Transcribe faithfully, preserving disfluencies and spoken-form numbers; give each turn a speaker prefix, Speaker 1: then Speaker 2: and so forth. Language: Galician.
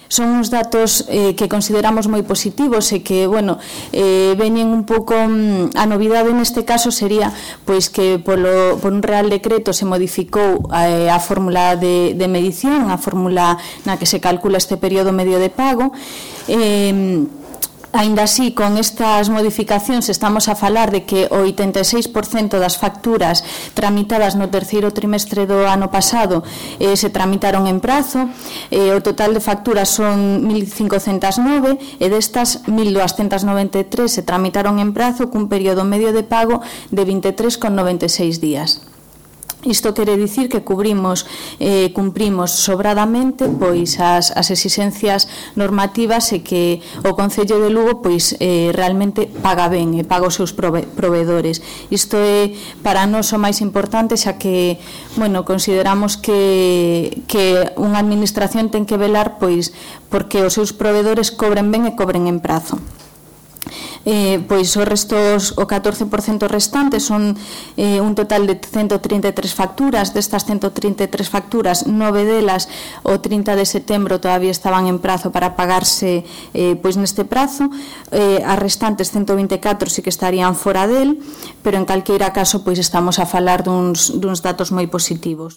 Speaker 1: Son uns datos eh, que consideramos moi positivos e que, bueno, eh, veñen un pouco, a novidade neste caso sería pois que polo, por un real decreto se modificou eh, a fórmula de, de medición, a fórmula na que se calcula este período medio de pago. eh, Aínda así, con estas modificacións estamos a falar de que o oitenta e seis por cento das facturas tramitadas no terceiro trimestre do ano pasado eh, se tramitaron en prazo. Eh, o total de facturas son mil cincocentas nove e destas mil doscientas noventa e tres se tramitaron en prazo cun período medio de pago de vinte e tres coma noventa e seis días. Isto quere dicir que cubrimos, eh, cumprimos sobradamente pois as, as exixencias normativas e que o Concello de Lugo pois eh, realmente paga ben e paga os seus prove proveedores. Isto é para nós o máis importante, xa que, bueno, consideramos que, que unha administración ten que velar pois porque os seus proveedores cobren ben e cobren en prazo. Eh, pois os restos, o catorce por cento restante son eh, un total de ciento trinta e tres facturas. Destas ciento trinta e tres facturas, nove delas o trinta de setembro todavía estaban en prazo para pagarse eh, pois neste prazo. Eh, as restantes ciento vinte e catro sí que estarían fora del, pero en calqueira caso pois estamos a falar duns, duns datos moi positivos.